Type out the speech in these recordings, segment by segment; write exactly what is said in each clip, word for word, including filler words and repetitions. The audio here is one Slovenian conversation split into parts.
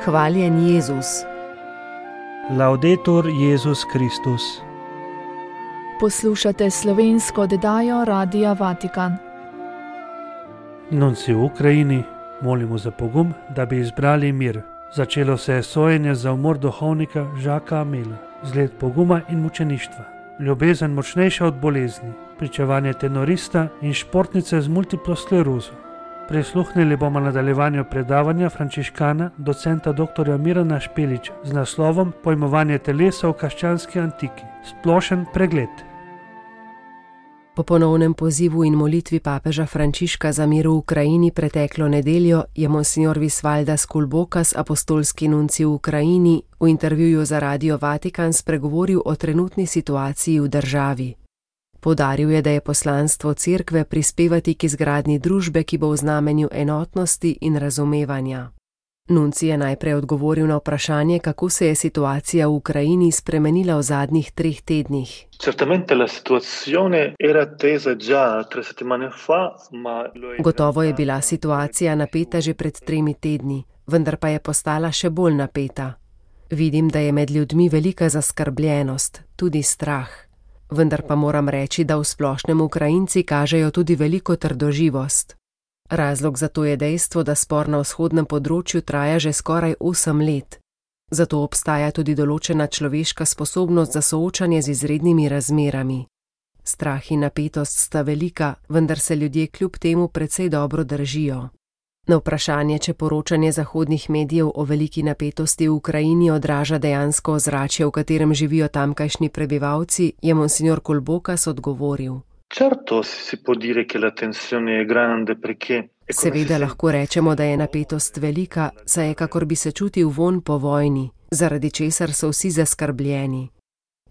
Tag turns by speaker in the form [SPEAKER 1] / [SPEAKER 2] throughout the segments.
[SPEAKER 1] Hvaljen Jezus.
[SPEAKER 2] Laudetur Jezus Kristus.
[SPEAKER 3] Poslušate slovensko oddajo Radia Vatikan.
[SPEAKER 2] Nunci v Ukrajini molimo za pogum, da bi izbrali mir. Začelo se je sojenje za umor duhovnika Jacquesa Amela. Zgled poguma in mučeništva. Ljubezen močnejša od bolezni. Pričevanje tenorista in športnice z multiplo sklerozo. Prisluhnili bomo nadaljevanju predavanja frančiškana docenta doktorja Mirana Špeliča z naslovom Pojmovanje telesa v krščanski antiki. Splošen pregled.
[SPEAKER 1] Po ponovnem pozivu in molitvi papeža Frančiška za mir v Ukrajini preteklo nedeljo je monsignor Visvaldas Kulbokas, apostolski nunci v Ukrajini, v intervjuju za Radio Vatikan spregovoril o trenutni situaciji v državi. Poudaril je, da je poslanstvo cerkve prispevati k izgradnji družbe, ki bo v znamenju enotnosti in razumevanja. Nunci je najprej odgovoril na vprašanje, kako se je situacija v Ukrajini spremenila v zadnjih treh tednih. Gotovo je bila situacija napeta že pred tremi tedni, vendar pa je postala še bolj napeta. Vidim, da je med ljudmi velika zaskrbljenost, tudi strah. Vendar pa moram reči, da v splošnem Ukrajinci kažejo tudi veliko trdoživost. Razlog za to je dejstvo, da spor na vzhodnem področju traja že skoraj osem let. Zato obstaja tudi določena človeška sposobnost za soočanje z izrednimi razmerami. Strah in napetost sta velika, vendar se ljudje kljub temu precej dobro držijo. Na vprašanje, če poročanje zahodnih medijev o veliki napetosti v Ukrajini odraža dejansko ozračje, v katerem živijo tamkajšnji prebivalci, je monsignor Kulbokas odgovoril. Seveda lahko rečemo, da je napetost velika, saj je kakor bi se čutil vonj po vojni, zaradi česar so vsi zaskrbljeni.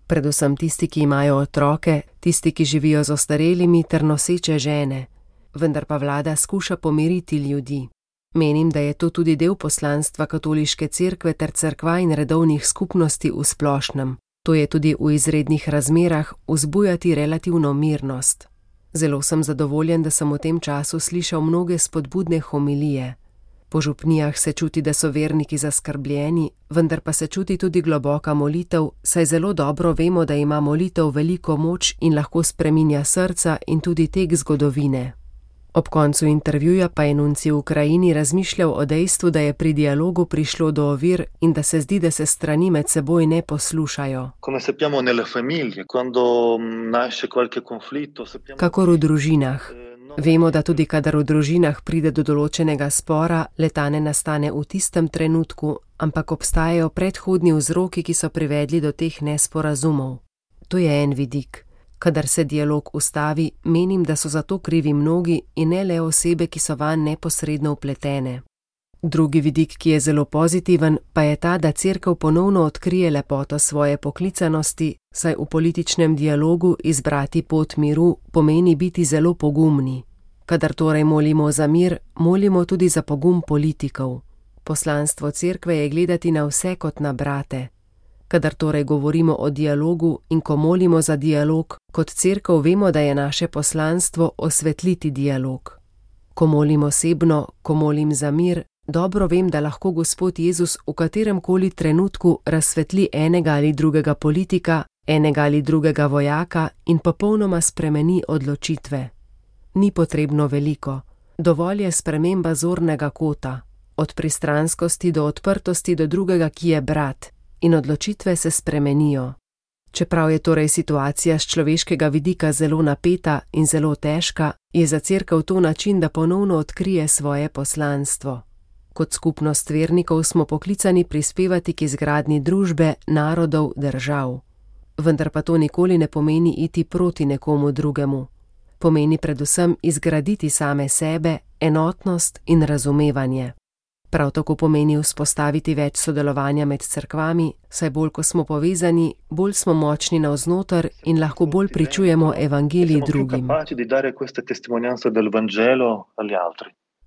[SPEAKER 1] Predvsem tisti, ki imajo otroke, tisti, ki živijo z ostarelimi ter noseče žene. Vendar pa vlada skuša pomiriti ljudi. Menim, da je to tudi del poslanstva katoliške cerkve ter cerkva in redovnih skupnosti v splošnem. To je tudi v izrednih razmerah vzbujati relativno mirnost. Zelo sem zadovoljen, da sem v tem času slišal mnoge spodbudne homilije. Po župnijah se čuti, da so verniki zaskrbljeni, vendar pa se čuti tudi globoka molitev, saj zelo dobro vemo, da ima molitev veliko moč in lahko spreminja srca in tudi tek zgodovine. Ob koncu intervjuja pa je nunci v Ukrajini razmišljal o dejstvu, da je pri dialogu prišlo do ovir in da se zdi, da se strani med seboj ne poslušajo. Kakor v družinah. Vemo, da tudi kadar v družinah pride do določenega spora, le-ta ne nastane v tistem trenutku, ampak obstajajo predhodni vzroki, ki so privedli do teh nesporazumov. To je en vidik. Kadar se dialog ustavi, menim, da so za to krivi mnogi in ne le osebe, ki so vanj neposredno vpletene. Drugi vidik, ki je zelo pozitiven, pa je ta, da cerkev ponovno odkrije lepoto svoje poklicanosti, saj v političnem dialogu izbrati pot miru pomeni biti zelo pogumni. Kadar torej molimo za mir, molimo tudi za pogum politikov. Poslanstvo cerkve je gledati na vse kot na brate. Kadar torej govorimo o dialogu in ko molimo za dialog, kot cerkev vemo, da je naše poslanstvo osvetliti dialog. Ko molim osebno, ko molim za mir, dobro vem, da lahko Gospod Jezus v kateremkoli trenutku razsvetli enega ali drugega politika, enega ali drugega vojaka in popolnoma spremeni odločitve. Ni potrebno veliko. Dovolj je sprememba zornega kota, od pristranskosti do odprtosti do drugega, ki je brat. In odločitve se spremenijo. Čeprav je torej situacija z človeškega vidika zelo napeta in zelo težka, je za cerkev to način, da ponovno odkrije svoje poslanstvo. Kot skupnost vernikov smo poklicani prispevati k izgradnji družbe, narodov, držav. Vendar pa to nikoli ne pomeni iti proti nekomu drugemu. Pomeni predvsem izgraditi same sebe, enotnost in razumevanje. Prav tako pomeni vzpostaviti več sodelovanja med cerkvami, saj bolj ko smo povezani, bolj smo močni navznoter in lahko bolj pričujemo evangelij drugim.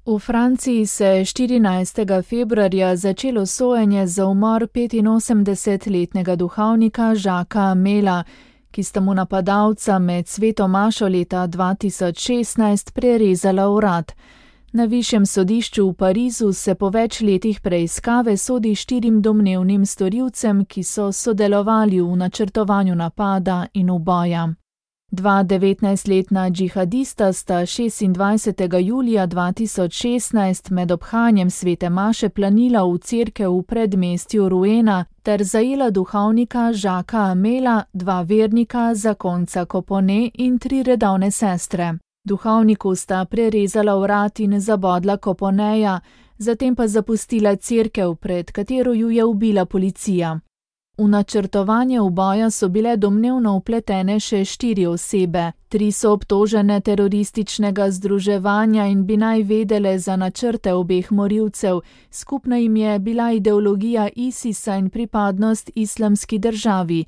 [SPEAKER 3] V Franciji se je štirinajstega februarja začelo sojenje za umor petinosemdesetletnega duhovnika Jacquesa Amela, ki sta mu napadalca med sveto mašo leta dva tisoč šestnajst prerezala vrat. Na višjem sodišču v Parizu se po več letih preiskave sodi štirim domnevnim storilcem, ki so sodelovali v načrtovanju napada in uboja. Dva devetnajstletna džihadista sta šestindvajsetega julija dva tisoč šestnajst med obhanjem svete maše planila v cerkev v predmestju Rouena ter zajela duhovnika Jacquesa Amela, dva vernika, zakonca Copone in tri redovne sestre. Duhovniku sta prerezala vrat in zabodla Coponeja, zatem pa zapustila cerkev, pred katero ju je ubila policija. V načrtovanje uboja so bile domnevno vpletene še štiri osebe. Tri so obtožene terorističnega združevanja in bi naj vedele za načrte obeh morilcev. Skupna jim je bila ideologija ISIS-a in pripadnost islamski državi.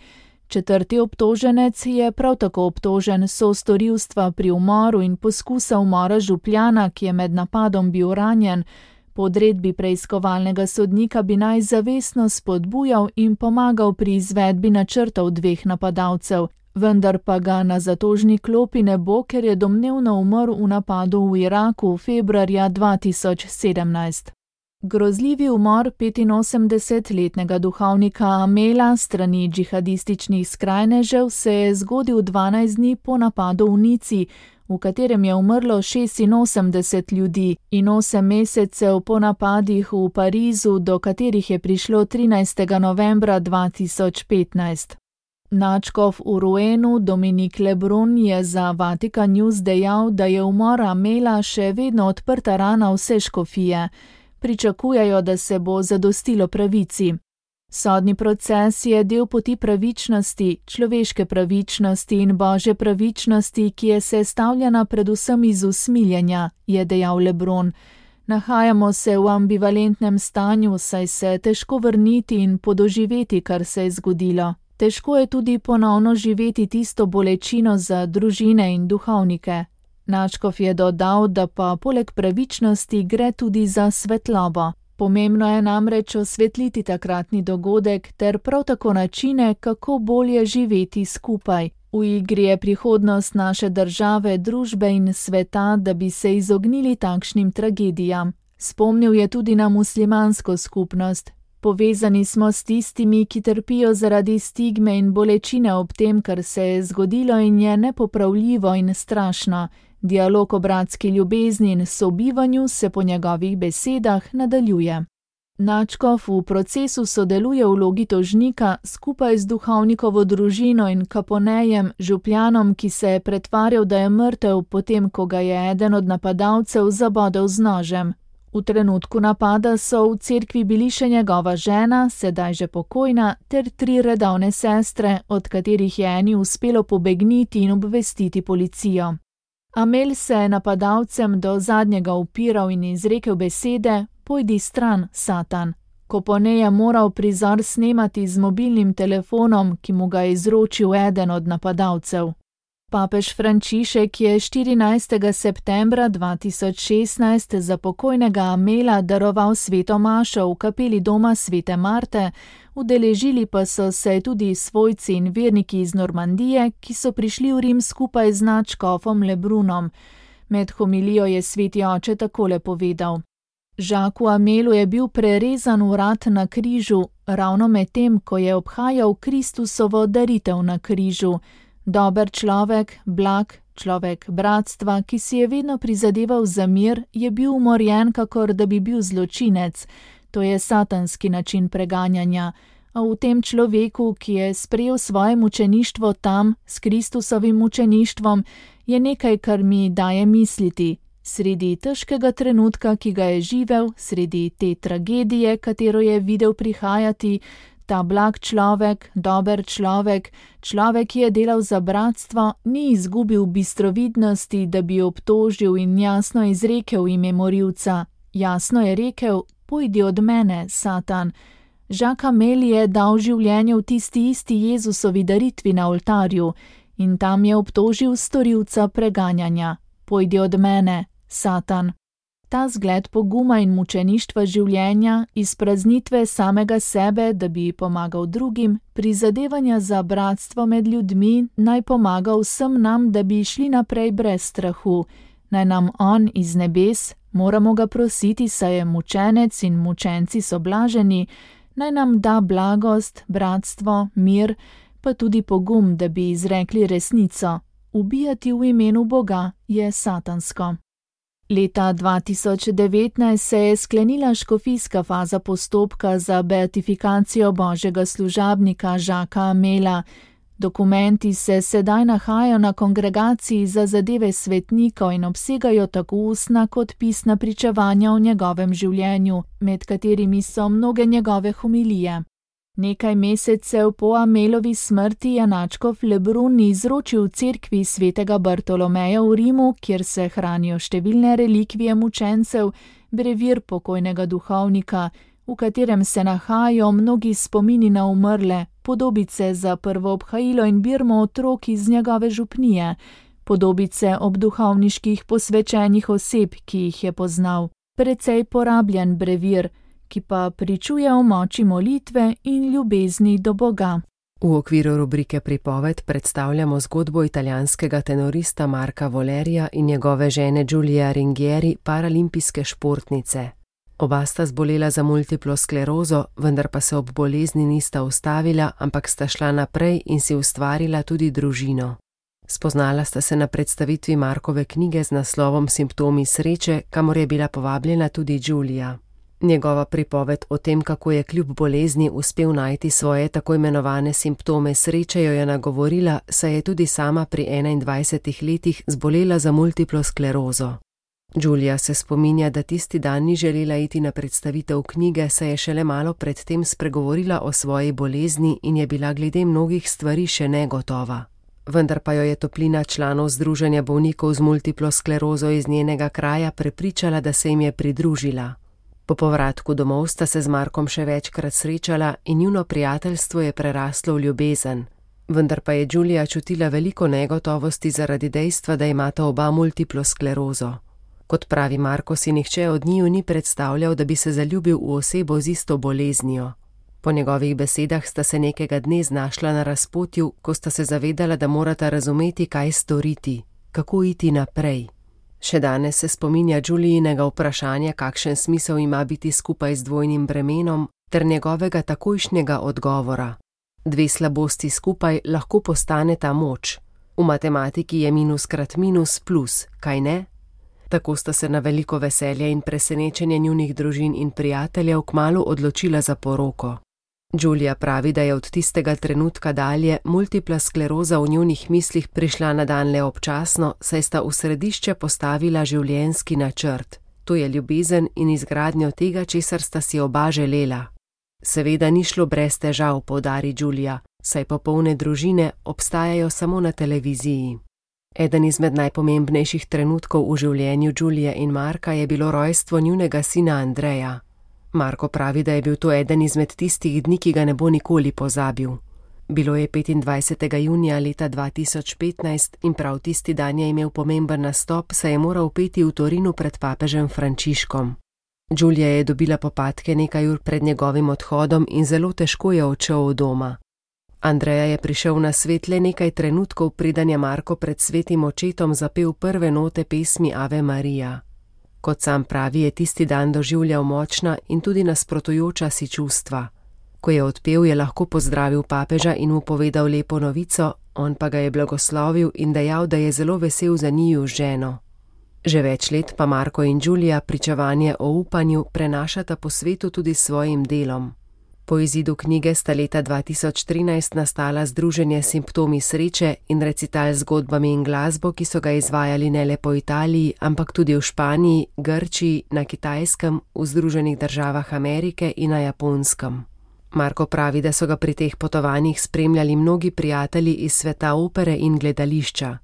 [SPEAKER 3] Četrti obtoženec je prav tako obtožen sostorilstva pri umoru in poskusa umora župljana, ki je med napadom bil ranjen. Po odredbi preiskovalnega sodnika bi naj zavestno spodbujal in pomagal pri izvedbi načrtov dveh napadalcev, vendar pa ga na zatožni klopi ne bo, ker je domnevno umrl v napadu v Iraku februarja dva tisoč sedemnajst. Grozljivi umor petinosemdesetletnega duhovnika Amela strani džihadističnih skrajnežev se je zgodil dvanajst dni po napadu v Nici, v katerem je umrlo šestinosemdeset ljudi, in osem mesecev po napadih v Parizu, do katerih je prišlo trinajstega novembra dva tisoč petnajst. Nadškof v Rouenu Dominique Lebrun je za Vatican News dejal, da je umor Amela še vedno odprta rana vse škofije. Pričakujejo, da se bo zadostilo pravici. Sodni proces je del poti pravičnosti, človeške pravičnosti in božje pravičnosti, ki je sestavljena predvsem iz usmiljenja, je dejal Lebrun. Nahajamo se v ambivalentnem stanju, saj se težko vrniti in podoživeti, kar se je zgodilo. Težko je tudi ponovno živeti tisto bolečino za družine in duhovnike. Nadškof je dodal, da pa poleg pravičnosti gre tudi za svetlobo. Pomembno je namreč osvetliti takratni dogodek ter prav tako načine, kako bolje živeti skupaj. V igri je prihodnost naše države, družbe in sveta, da bi se izognili takšnim tragedijam. Spomnil je tudi na muslimansko skupnost. Povezani smo s tistimi, ki trpijo zaradi stigme in bolečine ob tem, kar se je zgodilo in je nepopravljivo in strašno. Dialog o bratski ljubezni in sobivanju se po njegovih besedah nadaljuje. Nadškof v procesu sodeluje v vlogi tožnika skupaj z duhovnikovo družino in Caponejem, župljanom, ki se je pretvarjal, da je mrtev, potem ko ga je eden od napadalcev zabodel z nožem. V trenutku napada so v cerkvi bili še njegova žena, sedaj že pokojna, ter tri redovne sestre, od katerih je eni uspelo pobegniti in obvestiti policijo. Amel se je napadalcem do zadnjega upiral in izrekel besede: "Pojdi stran, Satan." Copone je moral prizor snemati z mobilnim telefonom, ki mu ga je izročil eden od napadalcev. Papež Frančišek je štirinajstega septembra dva tisoč šestnajst za pokojnega Amela daroval sveto mašo v kapeli doma svete Marte, udeležili pa so se tudi svojci in verniki iz Normandije, ki so prišli v Rim skupaj z nadškofom Lebrunom. Med homilijo je sveti oče takole povedal: Jacquesu Amelu je bil prerezan vrat na križu, ravno med tem, ko je obhajal Kristusovo daritev na križu. Dober človek, blag, človek bratstva, ki si je vedno prizadeval za mir, je bil umorjen, kakor da bi bil zločinec. To je satanski način preganjanja. A v tem človeku, ki je sprejel svoje mučeništvo tam, s Kristusovim mučeništvom, je nekaj, kar mi daje misliti. Sredi težkega trenutka, ki ga je živel, sredi te tragedije, katero je videl prihajati, ta blag človek, dober človek, človek, ki je delal za bratstvo, ni izgubil bistrovidnosti, da bi obtožil in jasno izrekel ime morilca. Jasno je rekel: "Pojdi od mene, Satan." Jacques Amel je dal življenje v tisti isti Jezusovi daritvi na oltarju in tam je obtožil storilca preganjanja: "Pojdi od mene, Satan." Ta zgled poguma in mučeništva življenja, izpraznitve samega sebe, da bi pomagal drugim, prizadevanja za bratstvo med ljudmi, naj pomaga vsem nam, da bi šli naprej brez strahu. naj nam on iz nebes, moramo ga prositi, saj je mučenec in mučenci so blaženi, naj nam da blagost, bratstvo, mir, pa tudi pogum, da bi izrekli resnico. Ubijati v imenu Boga je satansko. Leta dva tisoč devetnajst se je sklenila škofijska faza postopka za beatifikacijo božjega služabnika Jacquesa Amela. Dokumenti se sedaj nahajajo na kongregaciji za zadeve svetnikov in obsegajo tako ustna kot pisna pričevanja o njegovem življenju, med katerimi so mnoge njegove homilije. Nekaj mesecev po Amelovi smrti je nadškof Lebrun izročil cerkvi svetega Bartolomeja v Rimu, kjer se hranijo številne relikvije mučencev, brevir pokojnega duhovnika, v katerem se nahajajo mnogi spomini na umrle, podobice za prvo obhajilo in birmo otrok iz njegove župnije, podobice ob duhovniških posvečenih oseb, ki jih je poznal, precej porabljen brevir, ki pa pričuje o moči molitve in ljubezni do Boga.
[SPEAKER 1] V okviru rubrike Pripoved predstavljamo zgodbo italijanskega tenorista Marka Volerija in njegove žene Giulia Ringhieri, paralimpijske športnice. Oba sta zbolela za multiplo sklerozo, vendar pa se ob bolezni nista ustavila, ampak sta šla naprej in si ustvarila tudi družino. Spoznala sta se na predstavitvi Markove knjige z naslovom Simptomi sreče, kamor je bila povabljena tudi Giulia. Njegova pripoved o tem, kako je kljub bolezni uspel najti svoje tako imenovane simptome sreče, jo je nagovorila, saj je tudi sama pri enaindvajsetih letih zbolela za multiplo sklerozo. Giulia se spominja, da tisti dan ni želela iti na predstavitev knjige, saj je šele malo pred tem spregovorila o svoji bolezni in je bila glede mnogih stvari še negotova. Vendar pa jo je toplina članov Združenja bolnikov z multiplo sklerozo iz njenega kraja prepričala, da se jim je pridružila. Po povratku domov sta se z Markom še večkrat srečala in njuno prijateljstvo je preraslo v ljubezen. Vendar pa je Giulia čutila veliko negotovosti zaradi dejstva, da imata oba multiplo sklerozo. Kot pravi Marko, si nihče od njiju ni predstavljal, da bi se zaljubil v osebo z isto boleznijo. Po njegovih besedah sta se nekega dne znašla na razpotju, ko sta se zavedala, da morata razumeti, kaj storiti, kako iti naprej. Še danes se spominja Giulijinega vprašanja, kakšen smisel ima biti skupaj z dvojnim bremenom, ter njegovega takojšnjega odgovora. Dve slabosti skupaj lahko postane ta moč. V matematiki je minus krat minus plus, kaj ne? Tako sta se na veliko veselje in presenečenje njunih družin in prijateljev kmalu odločila za poroko. Giulia pravi, da je od tistega trenutka dalje multipla skleroza v njunih mislih prišla na dan le občasno, saj sta v središče postavila življenjski načrt. To je ljubezen in izgradnjo tega, česar sta si oba želela. Seveda ni šlo brez težav, poudari Giulia, saj popolne družine obstajajo samo na televiziji. Eden izmed najpomembnejših trenutkov v življenju Giulie in Marka je bilo rojstvo njunega sina Andreja. Marko pravi, da je bil to eden izmed tistih dni, ki ga ne bo nikoli pozabil. Bilo je petindvajsetega junija leta dva tisoč petnajst in prav tisti dan je imel pomemben nastop, saj je moral peti v Torinu pred papežem Frančiškom. Giulia je dobila popadke nekaj ur pred njegovim odhodom in zelo težko je odšel od doma. Andreja je prišel na svet le nekaj trenutkov, preden je Marko pred svetim očetom zapel prve note pesmi Ave Maria. Kot sam pravi, je tisti dan doživljal močna in tudi nasprotujoča si čustva. Ko je odpel, je lahko pozdravil papeža in mu povedal lepo novico, on pa ga je blagoslovil in dejal, da je zelo vesel za njiju ženo. Že več let pa Marko in Giulia pričevanje o upanju prenašata po svetu tudi s svojim delom. Po izidu knjige sta leta dva tisoč trinajst nastala združenje Simptomi sreče in recital z zgodbami in glasbo, ki so ga izvajali ne le po Italiji, ampak tudi v Španiji, Grčiji, na Kitajskem, v Združenih državah Amerike in na Japonskem. Marko pravi, da so ga pri teh potovanjih spremljali mnogi prijatelji iz sveta opere in gledališča.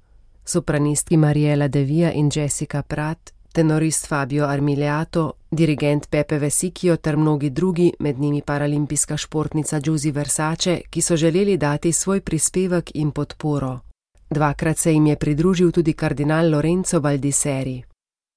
[SPEAKER 1] Sopranistki Mariela De Via in Jessica Pratt, tenorist Fabio Armiliato, dirigent Pepe Vesicchio ter mnogi drugi, med njimi paralimpijska športnica Giusy Versace, ki so želeli dati svoj prispevek in podporo. Dvakrat se jim je pridružil tudi kardinal Lorenzo Baldisseri.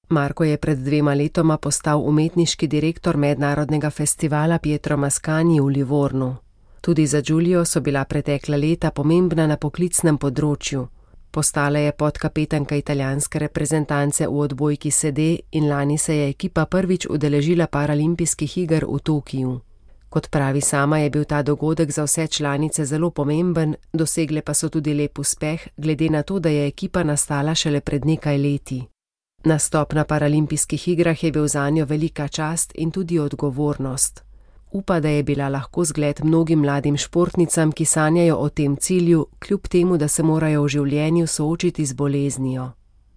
[SPEAKER 1] Marko je pred dvema letoma postal umetniški direktor mednarodnega festivala Pietro Mascagni v Livornu. Tudi za Giulio so bila pretekla leta pomembna na poklicnem področju. Postala je podkapetanka italijanske reprezentance v odbojki sede in lani se je ekipa prvič udeležila paralimpijskih iger v Tokiju. Kot pravi sama, je bil ta dogodek za vse članice zelo pomemben, dosegle pa so tudi lep uspeh, glede na to, da je ekipa nastala šele pred nekaj leti. Nastop na paralimpijskih igrah je bil zanjo velika čast in tudi odgovornost. Upa, da je bila lahko zgled mnogim mladim športnicam, ki sanjajo o tem cilju, kljub temu, da se morajo v življenju soočiti z boleznijo.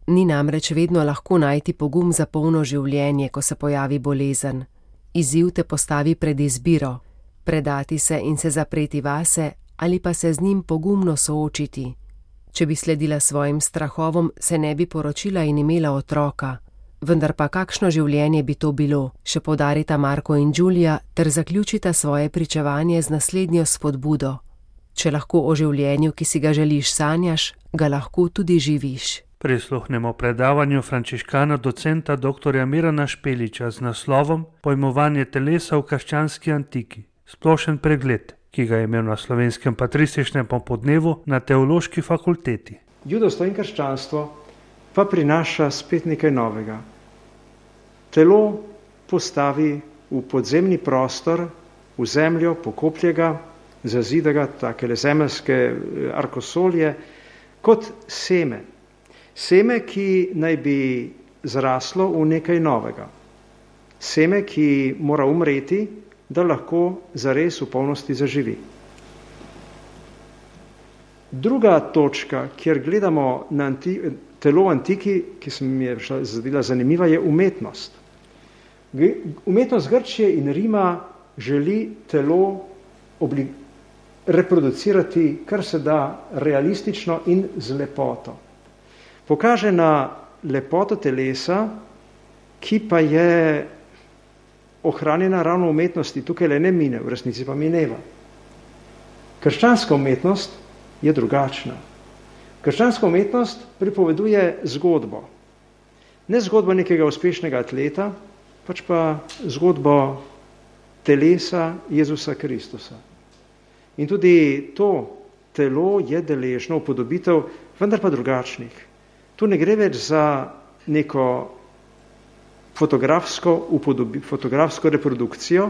[SPEAKER 1] Ni namreč vedno lahko najti pogum za polno življenje, ko se pojavi bolezen. Izziv te postavi pred izbiro, predati se in se zapreti vase ali pa se z njim pogumno soočiti. Če bi sledila svojim strahovom, se ne bi poročila in imela otroka. Vendar pa kakšno življenje bi to bilo, še poudarita Marko in Giulia ter zaključita svoje pričevanje z naslednjo spodbudo. Če lahko o življenju, ki si ga želiš, sanjaš, ga lahko tudi živiš.
[SPEAKER 2] Prisluhnemo predavanju frančiškana docenta doktorja Mirana Špeliča z naslovom Pojmovanje telesa v krščanski antiki. Splošen pregled, ki ga je imel na Slovenskem patrističnem popoldnevu na Teološki fakulteti.
[SPEAKER 4] Judovstvo in krščanstvo pa prinaša spet nekaj novega. Telo postavi v podzemni prostor, v zemljo, pokoplje ga, zazida ga, takele zemeljske arkosolje, kot seme. Seme, ki naj bi zraslo v nekaj novega. Seme, ki mora umreti, da lahko zares v polnosti zaživi. Druga točka, kjer gledamo na anti, telo v antiki, ki se mi je zadela zanimiva, je umetnost. Umetnost Grčije in Rima želi telo obli, reproducirati kar se da realistično in z lepoto. Pokaže na lepoto telesa, ki pa je ohranjena ravno v umetnosti, tukaj le ne mine, v resnici pa mineva. Krščanska umetnost je drugačna. Krščanska umetnost pripoveduje zgodbo. Ne zgodbo nekega uspešnega atleta, pač pa zgodbo telesa Jezusa Kristusa. In tudi to telo je deležno upodobitev, vendar pa drugačnih. Tu ne gre več za neko fotografsko, upodobi, fotografsko reprodukcijo,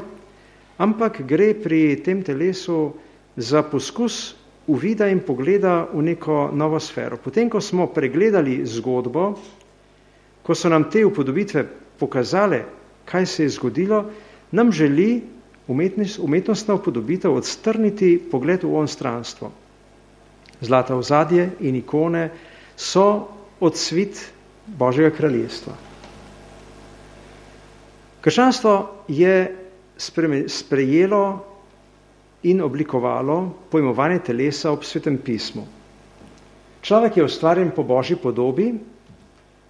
[SPEAKER 4] ampak gre pri tem telesu za poskus uvida in pogleda v neko novo sfero. Potem, ko smo pregledali zgodbo, ko so nam te upodobitve pokazale, kaj se je zgodilo, nam želi umetnost, umetnostna upodobitev odstrniti pogled v onstranstvo. Zlata ozadje in ikone so odsvit Božjega kraljestva. Krščanstvo je sprejelo in oblikovalo pojmovanje telesa ob Svetem pismu. Človek je ustvarjen po Božji podobi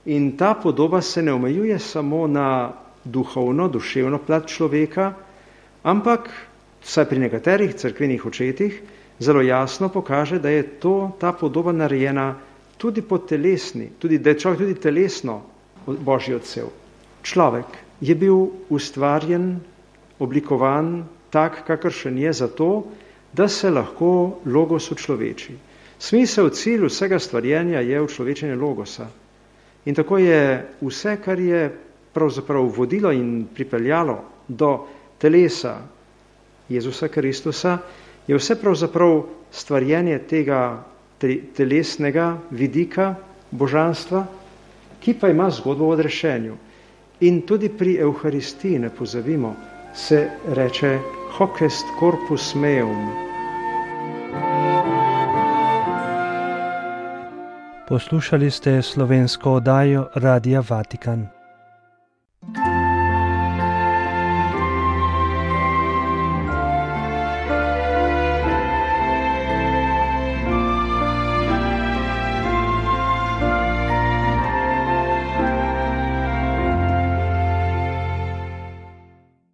[SPEAKER 4] in ta podoba se ne omejuje samo na duhovno, duševno plat človeka, ampak, vsaj pri nekaterih cerkvenih očetih, zelo jasno pokaže, da je to, ta podoba narejena tudi po telesni, tudi, da je človek tudi telesno Božji odsev. Človek je bil ustvarjen, oblikovan tak, kakršen je zato, da se lahko logos učloveči. Smisel, cilj vsega stvarjenja je učlovečenje logosa. In tako je vse, kar je pravzaprav vodilo in pripeljalo do telesa Jezusa Kristusa, je vse pravzaprav stvarjenje tega telesnega vidika božanstva, ki pa ima zgodbo o odrešenju. In tudi pri Evharistiji, ne pozabimo, se reče hoc est corpus meum.
[SPEAKER 5] Poslušali ste slovensko oddajo Radia Vatikan.